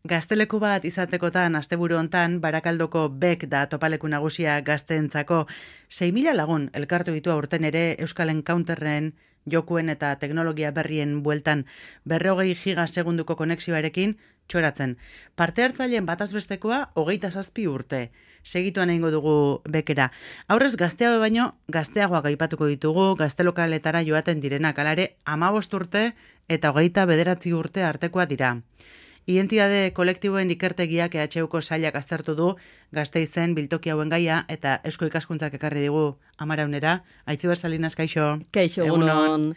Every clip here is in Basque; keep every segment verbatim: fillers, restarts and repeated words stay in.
Gazteleku bat izatekotan asteburu hontan Barakaldoko Bek da topaleku nagusia gazteentzako. sei mila lagun elkartu ditu aurten ere Euskal Encounterren jokuen eta teknologia berrien bueltan berrogei giga segunduko konexioarekin txoratzen. Parte hartzaileen batazbestekoa hogeita zazpi urte. Segituan egingo dugu Bekera. Aurrez gazteago baino gazteagoak aipatuko ditugu, gaztelokaletara joaten direnak alare hamabost urte eta hogeita bederatzi urte artekoa dira. Identitate kolektiboen ikertegiak E H Uko sailak aztertu du Gasteizen biltoki hauen gaia eta Eusko Ikaskuntzak ekarri digu Amaraunera. Aitziber Salinas, kaixo. Kaixo, egunon.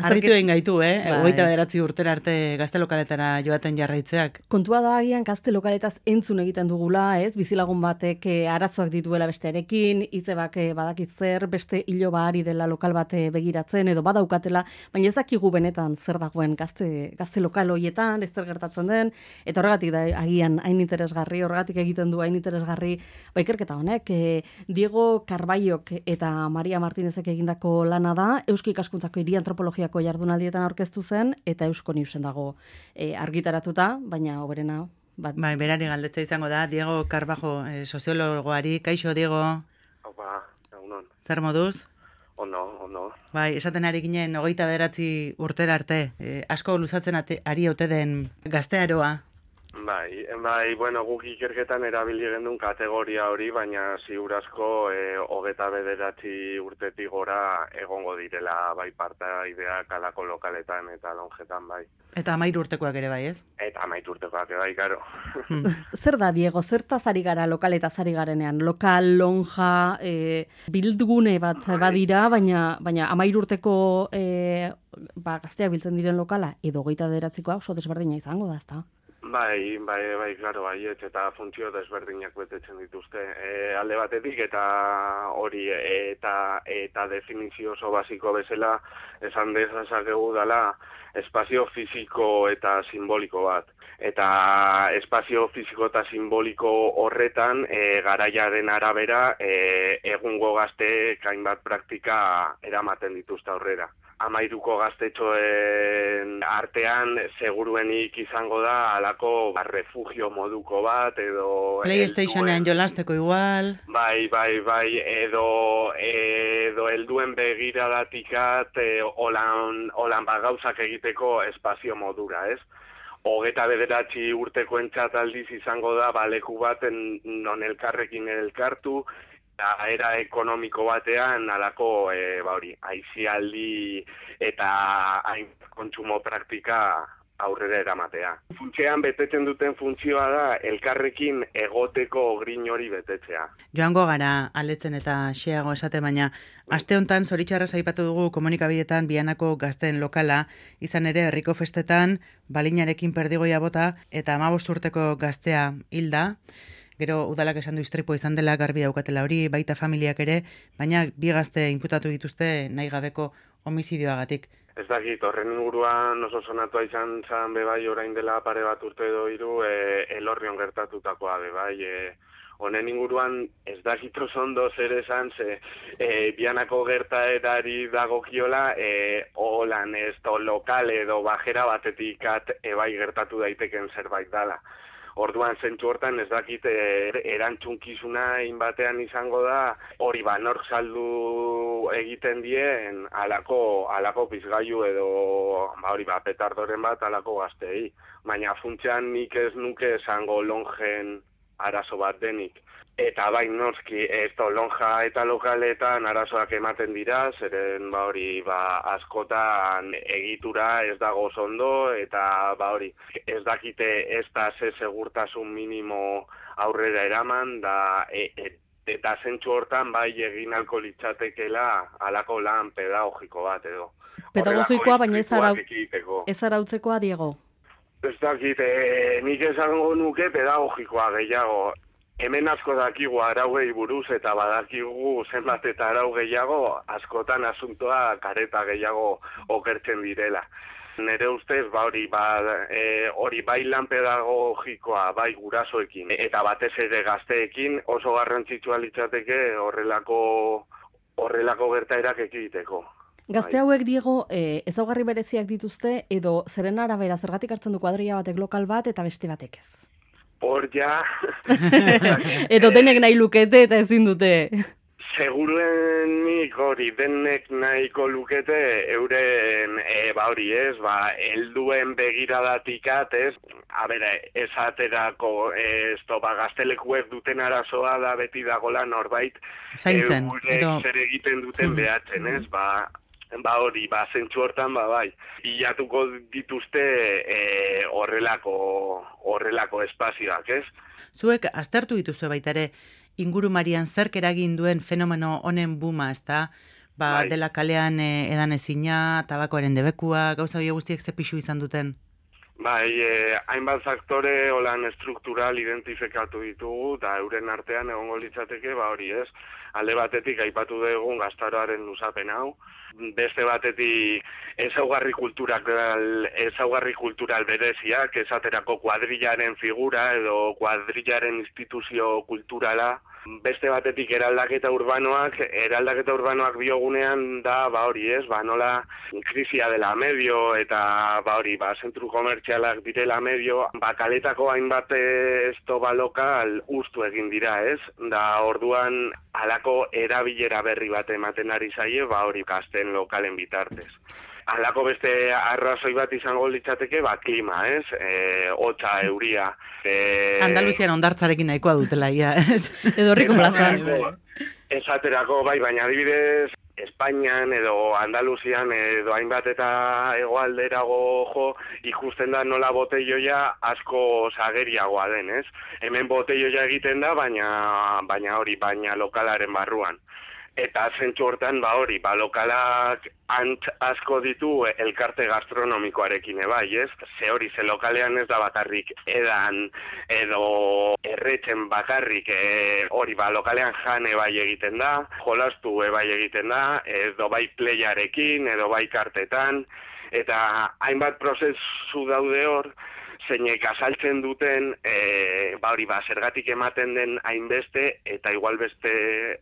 Harritu egin gaitu, eh? Hogeita bederatzi urtera arte gaztelokaletara joaten jarraitzeak. Kontua da agian gaztelokaletaz entzun egiten dugula, ez? Bizilagun batek eh, arazoak dituela bestearekin, hitzebak eh, badakit zer, beste iloba ari dela lokal bat eh, begiratzen edo badaukatela, baina ez dakigu benetan zer dagoen gazte, gazte lokal hoietan, ez zer gertatzen den, eta horregatik da agian hain interesgarri, horregatik egiten du hain interesgarri, ba ikerketa honek, eh, Diego Carballok eta Maria Martinezek egindako lana da, Eusko Ikaskuntzako hiri antropologia jardunaldietan aurkeztu zen eta Eusko Newsen dago e, argitaratuta, baina hoberena bat. Bai, berari galdetza izango da Diego Carbajo, e, soziologoari. Kaixo, Diego. Opa, egunon. Zer moduz? Ondo, ondo. Bai, esaten ari ginen hogeita bederatzi urtera arte, e, asko luzatzen ate, ari ote den gaztearoa. Bai, bai, bueno, guk ikerketan erabili gendun kategoria hori, baina ziurazko e, hogeta bederatzi urtetik gora egongo direla bai partaideak alako lokaletan eta lonjetan bai. Eta amairu urtekoak ere bai, ez? Eta amairu urtekoak bai, karo. Hmm. Zer da, Diego, zertaz ari gara lokaletaz ari garenean? Lokal, lonja, e, bildgune bat bai. Badira, baina, baina amairu urteko e, ba, gazteak biltzen diren lokala, edo hogeita bederatzikoa oso desberdina izango da, ezta? Bai, bai, bai, klaro, bai, eta funtzio desberdinak betetzen dituzte. E, alde batetik eta hori eta eta definizio oso basiko bezala esan dezakegu dela espazio fisiko eta simboliko bat. Eta espazio fisiko eta simboliko horretan e, garaiaren arabera e, egungo gazteek hainbat praktika eramaten dituzte aurrera. Amairuko gaztetxoen artean seguruenik izango da alako ba, refugio moduko bat edo PlayStationean jolasteko igual. Bai, bai, bai, edo edo helduen begiradatikat e, holan holan ba gauzak egiteko espazio modura, ez? Hogeta bederatzi urteko entzat aldiz izango da baleku baten non elkarrekin elkartu, eta era ekonomiko batean alako e, ba hori, aizialdi eta hain kontsumo praktika aurrera eramatea. Funtsean betetzen duten funtzioa da elkarrekin egoteko grin hori betetzea. Joango gara aletzen eta xeago esate, baina aste hontan zoritxarraz aipatu dugu komunikabidetan Bianako gazteen lokala, izan ere herriko festetan balinarekin perdigoia bota eta hamabost urteko gaztea hilda. Gero udalak esan du istripo izan dela, garbi daukatela hori, baita familiak ere, baina bi gazte inputatu dituzte nahi gabeko homizidioagatik. Ez dakit, horren inguruan oso sonatua izan zan bebai orain dela pare bat urte edo hiru e, Elorrion gertatutakoa bebai. E, honen inguruan ez dakit oso ondo zer esan, ze e, Bianako gertaerari dagokiola, e, holan ez to lokal edo bajera batetik at ebai gertatu daiteken zerbait dala. Orduan zentzu hortan ez dakit er, erantzunkizuna inbatean izango da hori ba nork saldu egiten dien alako alako pizgailu edo ba hori ba petardoren bat alako gazteei. Baina funtsean nik ez nuke esango lonjen arazo bat denik. Eta bai noski ez da lonja eta lokaletan arazoak ematen dira, zeren ba hori ba askotan egitura ez dago ondo eta ba hori ez dakite ez da ze segurtasun minimo aurrera eraman da e, e, eta zentzu hortan bai egin alko litzatekela alako lan pedagogiko bat edo. Pedagogikoa baina ez arau, ez arautzekoa, Diego? Ez dakite, nik esango nuke pedagogikoa gehiago. Hemen asko dakigu arauei buruz eta badakigu zenbat eta arau gehiago, askotan asuntoa kareta gehiago okertzen direla. Nere ustez, ba hori, ba, e, hori bai lan pedagogikoa, bai gurasoekin, eta batez ere gazteekin oso garrantzitsua litzateke horrelako, horrelako gertaerak ekiditeko. Gazte hauek, Diego, e, ezaugarri bereziak dituzte, edo zeren arabera zergatik hartzen du kuadrilla batek lokal bat eta beste batek ez? Hor ja... Edo denek nahi lukete eta ezin dute. Seguruenik hori denek nahiko lukete euren, e, ba hori ez, ba, helduen begiradatikat ez, a bera, esaterako, ez to, ba, gaztelekuek duten arazoa da beti dagola norbait, zaintzen, eurek edo... zer egiten duten behatzen ez, ba, ba hori, ba, zentsu hortan, ba, bai, bilatuko dituzte e, horrelako, horrelako espazioak ez. Zuek aztertu dituzue baita ere, ingurumarian zerk eragin duen fenomeno honen buma, ezta? Ba, Bai. dela kalean e, edan ezina, tabakoaren debekua, gauza hori guztiek ze pixu izan duten? Bai, eh, hainbat faktore holan estruktural identifikatu ditugu, eta euren artean egongo litzateke, ba hori ez, alde batetik aipatu dugun gaztaroaren luzapen hau, beste batetik ezaugarri kultural, ezaugarri kultural bereziak, esaterako kuadrillaren figura edo kuadrillaren instituzio kulturala, beste batetik eraldaketa urbanoak, eraldaketa urbanoak biogunean da, ba hori ez, ba nola krisia dela medio eta ba hori, ba zentru komertzialak direla medio, ba kaletako hainbat ez toba lokal ustu egin dira ez, da orduan halako erabilera berri bat ematen ari zaie, ba hori gazten lokalen bitartez. Halako beste arrazoi bat izango litzateke, ba, klima, ez? E, hotza, euria. E... Andaluzian ondartzarekin nahikoa dutela, ja, ez? Edo horriko plazan. Esaterako, bai, baina adibidez, Espainian edo Andaluzian edo hainbat eta hegoalderago jo, ikusten da nola botelloia asko sageriagoa den, ez? Hemen botelloia egiten da, baina, baina hori, baina lokalaren barruan. Eta zentzu hortan, ba hori, ba lokalak ant asko ditu elkarte gastronomikoarekin ebai, ez? Ze hori, ze lokalean ez da bakarrik edan edo erretzen bakarrik, e, hori, ba lokalean jan ebai egiten da, jolastu ebai egiten da, edo bai playarekin, edo bai kartetan, eta hainbat prozesu daude hor, zeinek azaltzen duten, e, ba hori, ba, zergatik ematen den hainbeste, eta igual beste,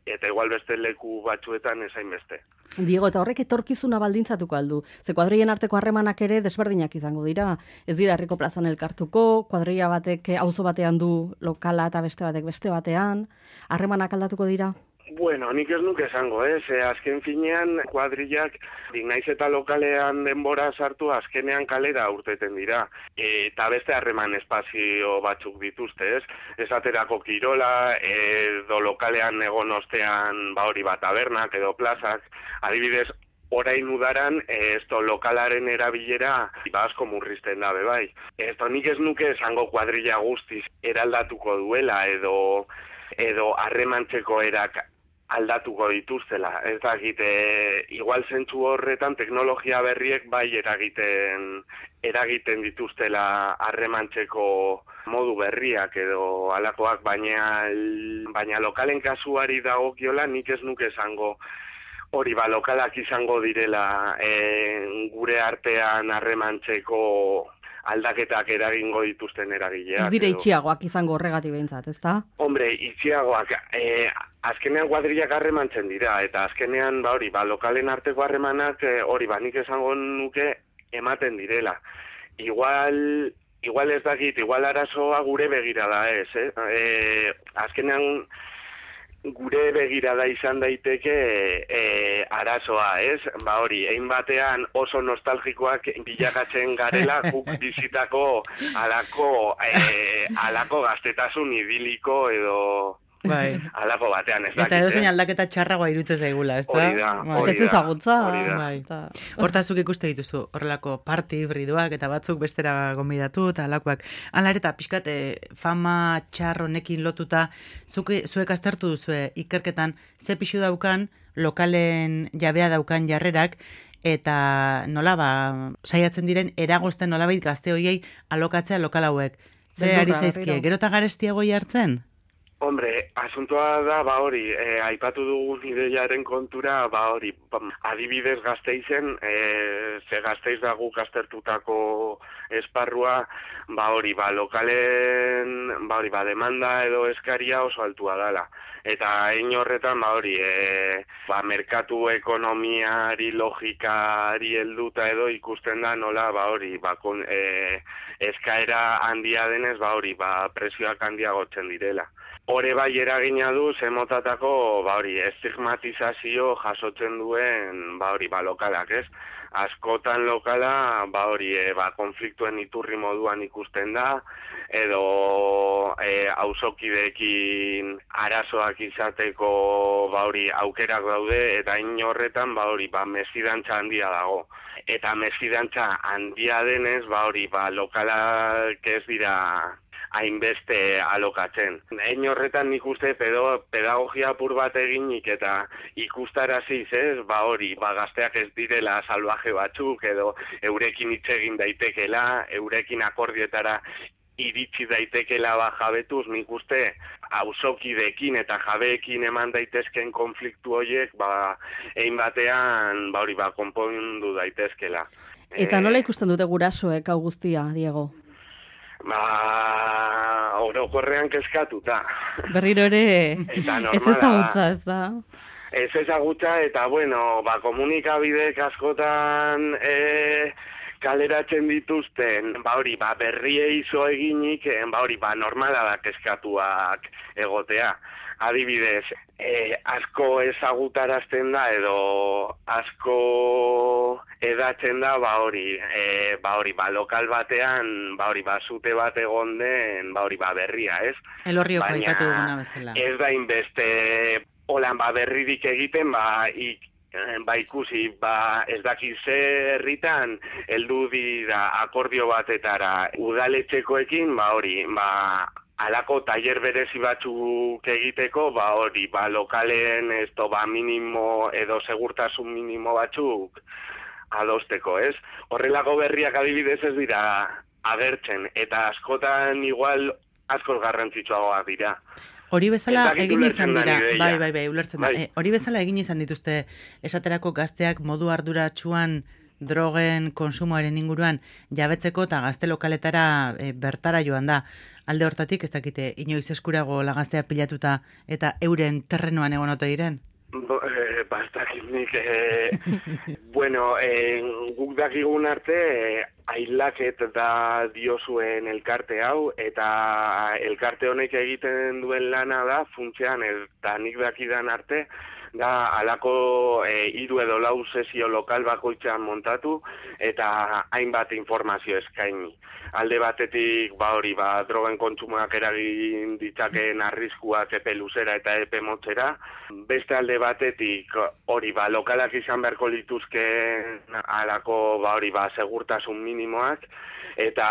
eta igual beste leku batzuetan ez hainbeste. Diego, eta horrek etorkizuna baldintzatuko aldu. Ze kuadrien arteko harremanak ere desberdinak izango dira. Ez dira herriko plazan elkartuko, kuadrilla batek auzo batean du lokala eta beste batek beste batean, harremanak aldatuko dira? Bueno, nik ez nuke esango, ez? Eh? Azken finean, kuadrillak, naiz eta lokalean denbora sartu, azkenean kalera urteten dira. E, eta beste harreman espazio batzuk dituzte, ez? Esaterako kirola, edo lokalean egon ostean, ba hori bat tabernak edo plazak, adibidez, orain udaran, esto lokalaren erabilera ba asko murrizten da, bai. Esto nik ez nuke esango kuadrilla guztiz eraldatuko duela, edo edo harremantzeko erak aldatuko dituztela. Ez dakit, e, igual zentzu horretan teknologia berriek bai eragiten eragiten dituztela harremantzeko modu berriak edo halakoak, baina baina lokalen kasuari dagokiola nik ez nuke esango hori ba lokalak izango direla e, gure artean harremantzeko aldaketak eragingo dituzten eragileak. Ez dire itxiagoak izango horregatik behintzat, ezta? Hombre, itxiagoak, eh, azkenean kuadrillak harremantzen dira, eta azkenean, ba hori, ba, lokalen arteko harremanak, eh, hori, ba, nik esango nuke ematen direla. Igual, igual ez dakit, igual arazoa gure begirada ez, eh? eh azkenean, gure begirada izan daiteke e, arazoa, ez? Ba hori, egin batean oso nostalgikoak bilakatzen garela guk bizitako alako, e, alako gaztetasun idiliko edo bai. alako batean, ez dakit. Eta edo zein aldaketa txarragoa irutzen zaigula, ez da? Hori da, hori da. Ezagutza. Bai. Hortazuk ikuste dituzu, horrelako party hibridoak eta batzuk bestera gonbidatu eta alakoak. Hala ere eta pixkat, fama txar honekin lotuta, zuke, zuek aztertu duzue ikerketan, ze pixu daukan, lokalen jabea daukan jarrerak, eta nola ba, saiatzen diren eragozten nolabait gazte hoiei alokatzea lokal hauek. Ze ari zaizkie, gero eta garestiagoi hartzen? Hombre, asuntoa da, ba hori, e, aipatu dugun ideiaren kontura, ba hori, adibidez Gasteizen, e, ze Gasteiz da guk aztertutako esparrua, ba hori, ba lokalen, ba hori, ba demanda edo eskaria oso altua dela. Eta hein horretan, ba hori, e, ba merkatu ekonomiari, logikari helduta edo ikusten da nola, ba hori, ba kon, e, eskaera handia denez, ba hori, ba prezioak handiagotzen direla. Hore bai eragina du zemotatako, ba hori, estigmatizazio jasotzen duen, ba hori, ba lokalak, ez? Askotan lokala, ba hori, e, ba konfliktuen iturri moduan ikusten da, edo e, auzokideekin arazoak izateko, ba hori, aukerak daude, eta in horretan, ba hori, ba mesfidantza handia dago. Eta mesfidantza handia denez, ba hori, ba lokalak ez dira hainbeste alokatzen. Hein horretan nik uste pedo, pedagogia apur bat eginik eta ikustaraziz, ez, ba hori, ba gazteak ez direla salvaje batzuk edo eurekin hitz egin daitekela, eurekin akordietara iritsi daitekela ba jabetuz, nik uste auzokideekin eta jabeekin eman daitezken konfliktu horiek, ba hein batean, ba hori, ba konpondu daitezkela. Eta nola ikusten dute gurasoek hau guztia, Diego? Ba, orokorrean kezkatuta. Berriro ere ez ezagutza, ez da? Ez ezagutza eta, bueno, ba, komunikabideek askotan e, kaleratzen dituzten, ba hori, ba, berriei zo eginik, ba hori, ba, normala da kezkatuak egotea. Adibidez, e, asko ezagutarazten da edo asko edatzen da, ba hori, e, ba hori, ba lokal batean, ba hori, ba zute bat egon den, ba hori, ba berria, ez? Elorrioko aipatu duguna bezala. Ez da inbeste, holan, ba berririk egiten, ba ik, ba ikusi, ba ez dakiz zer herritan heldu dira akordio batetara udaletxekoekin, ba hori, ba alako tailer berezi batzuk egiteko, ba hori, ba lokalen esto ba minimo edo segurtasun minimo batzuk adosteko, ez? Horrelako berriak adibidez ez dira agertzen eta askotan igual askoz garrantzitsuagoak dira. Hori bezala egin izan dira, bai, bai, bai, ulertzen da. Bai. E, hori bezala egin izan dituzte esaterako gazteak modu arduratsuan drogen konsumoaren inguruan jabetzeko eta gazte lokaletara e, bertara joan da. Alde hortatik, ez dakite, inoiz eskurago lagaztea pilatuta eta euren terrenoan egon ote diren? Bo, eh, bastakit nik, eh, bueno, eh, guk dakigun arte, eh, ailaket da diozuen elkarte hau, eta elkarte honek egiten duen lana da, funtzean, eta nik dakidan arte, da alako e, hiru edo lau sesio lokal bakoitzean montatu eta hainbat informazio eskaini. Alde batetik, ba hori, ba drogen kontsumoak eragin ditzakeen arriskuak epe luzera eta epe motzera. Beste alde batetik, hori, ba lokalak izan beharko lituzken alako, ba hori, ba segurtasun minimoak. Eta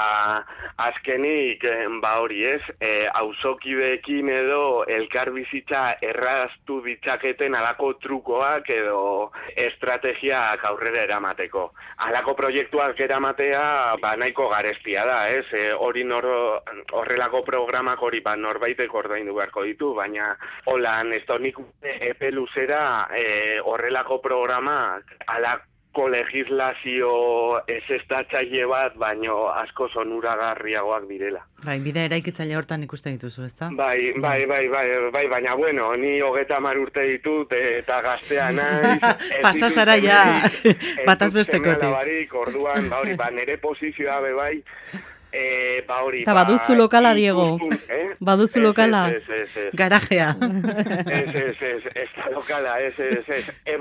azkenik, ba hori ez, e, auzokideekin edo elkarbizitza erraztu ditzaketen alako trukoak edo estrategiak aurrera eramateko. Alako proiektuak eramatea ba nahiko garestia da, ez? E, hori nor, horrelako programak hori ba norbaitek ordaindu beharko ditu, baina holan ez nik epe luzera e, horrelako programak alako legislazio ezestatzaile bat, baino asko onuragarriagoak direla. Bai, bide eraikitzaile hortan ikusten dituzu, ezta? Bai, bai, bai, bai, bai, baina bueno, ni hogeta hamar urte ditut eta gaztea naiz. Pasa zara ja, bataz bestekotik. Orduan, ba hori, ba nere posizioa be bai, Eh, ba hori, ba, baduzu lokala, Diego. Eh? Baduzu lokala. Ez, ez, ez, ez. Garajea. Ez, ez, ez, ez da lokala, ez, ez, ez. E,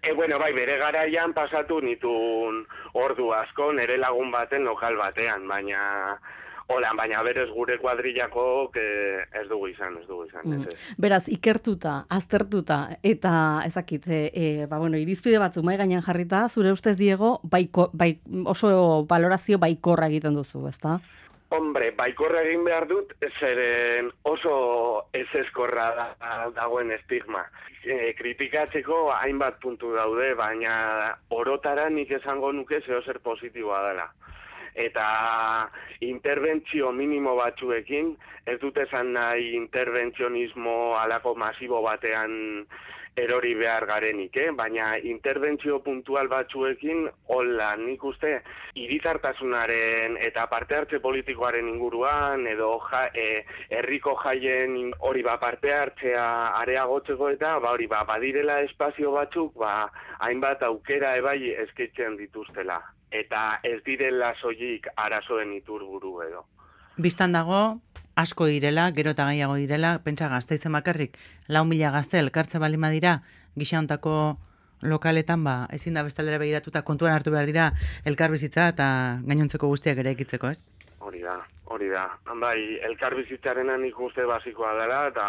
e, bueno, bai, bere garaian pasatu nitun ordu asko nere lagun baten lokal batean, baina hola, baina berez gure kuadrillako eh, ez dugu izan, ez dugu izan. Mm. Ez, ez. Beraz, ikertuta, aztertuta, eta ezakit, e, ba, bueno, irizpide batzuk mai gainean jarrita, zure ustez, Diego, baiko, bai, oso valorazio baikorra egiten duzu, ezta? Hombre, baikorra egin behar dut, zeren oso ez ezkorra da, dagoen estigma. E, kritikatzeko hainbat puntu daude, baina orotara nik esango nuke zeo zer positiboa dela. Eta interbentzio minimo batzuekin, ez dut esan nahi interbentzionismo alako masibo batean erori behar garenik, eh? Baina interbentzio puntual batzuekin, hola, nik uste, hiritartasunaren eta parte hartze politikoaren inguruan, edo ja, e, herriko jaien hori ba parte hartzea areagotzeko eta ba hori ba badirela espazio batzuk ba hainbat aukera ebai eskaintzen dituztela. Eta ez direla soilik arazoen iturburu edo. Bistan dago, asko direla, gero eta gehiago direla, pentsa Gasteizen bakarrik, lau mila gazte elkartze balin badira, gisa hontako lokaletan, ba, ezin da bestaldera begiratuta kontuan hartu behar dira elkarbizitza eta gainontzeko guztiak ere ekitzeko, ez? Hori da, hori da. Bai, elkarbizitzarena nik uste basikoa dela, eta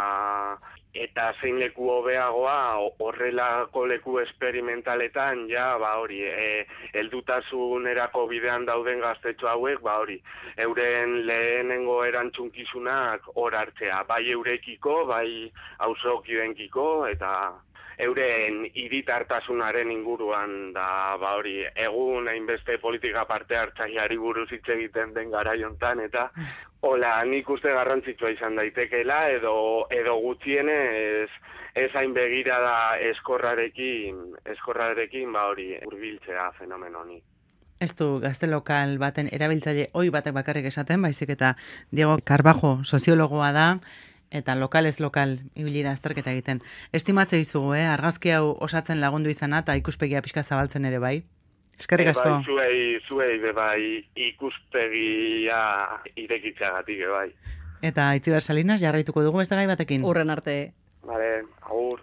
eta zein leku hobeagoa horrelako leku esperimentaletan, ja, ba hori, e, heldutasunerako bidean dauden gaztetxo hauek, ba hori, euren lehenengo erantzunkizunak hor hartzea, bai eurekiko, bai auzokidenkiko, eta euren hiritartasunaren inguruan da, ba hori, egun hainbeste politika parte hartzaileari buruz hitz egiten den garai hontan eta hola, nik uste garrantzitsua izan daitekeela edo edo gutxienez ez hain begirada eskorrarekin, eskorrarekin ba hori hurbiltzea fenomeno honi. Ez du gazte lokal baten erabiltzaile ohi batek bakarrik esaten, baizik eta Diego Carbajo soziologoa da, eta lokalez lokal ibili da azterketa egiten. Estimatze dizugu, eh? Argazki hau osatzen lagundu izana eta ikuspegia pixka zabaltzen ere bai. Eskerrik asko. Bai, zuei, zuei be bai ikuspegia irekitzeagatik bai. Eta Itziber Salinas jarraituko dugu beste gai batekin. Urren arte. Vale, agur.